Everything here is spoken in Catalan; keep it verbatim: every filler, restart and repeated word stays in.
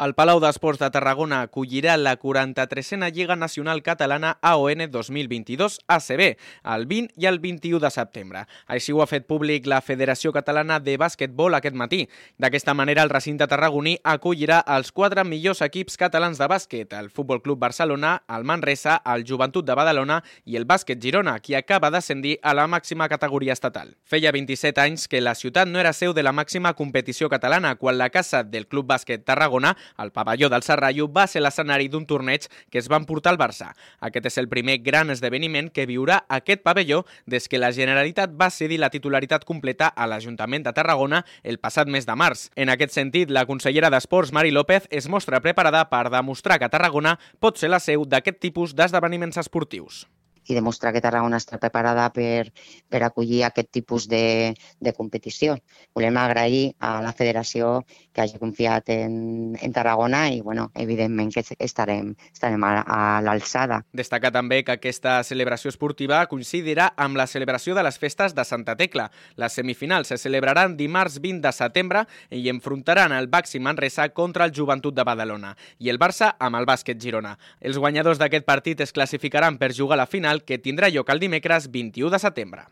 El Palau d'Esports de Tarragona acollirà la quaranta-tresena Lliga Nacional Catalana A O N dos mil vint-i-dos A C B el vint i el vint-i-u de setembre. Així ho ha fet públic la Federació Catalana de Bàsquetbol aquest matí. D'aquesta manera, el recinte tarragoní acollirà els quatre millors equips catalans de bàsquet, el Futbol Club Barcelona, el Manresa, el Joventut de Badalona i el Bàsquet Girona, qui acaba d'ascendir a la màxima categoria estatal. Feia vint-i-set anys que la ciutat no era seu de la màxima competició catalana, quan la casa del Club Bàsquet Tarragona, el pavelló del Serrallo, va ser l'escenari d'un torneig que es van portar al Barça. Aquest és el primer gran esdeveniment que viurà aquest pavelló des que la Generalitat va cedir la titularitat completa a l'Ajuntament de Tarragona el passat mes de març. En aquest sentit, la consellera d'Esports, Mari López, es mostra preparada per demostrar que Tarragona pot ser la seu d'aquest tipus d'esdeveniments esportius. I demostrar que Tarragona està preparada per, per acollir aquest tipus de, de competició. Volem agrair a la federació que hagi confiat en, en Tarragona i, bueno, evidentment que estarem, estarem a, a l'alçada. Destaca també que aquesta celebració esportiva coincidirà amb la celebració de les festes de Santa Tecla. Les semifinals se celebraran dimarts vint de setembre i enfrontaran el Baxi Manresa contra el Joventut de Badalona i el Barça amb el Bàsquet Girona. Els guanyadors d'aquest partit es classificaran per jugar a la final que tindrà lloc el dimecres vint-i-u de setembre.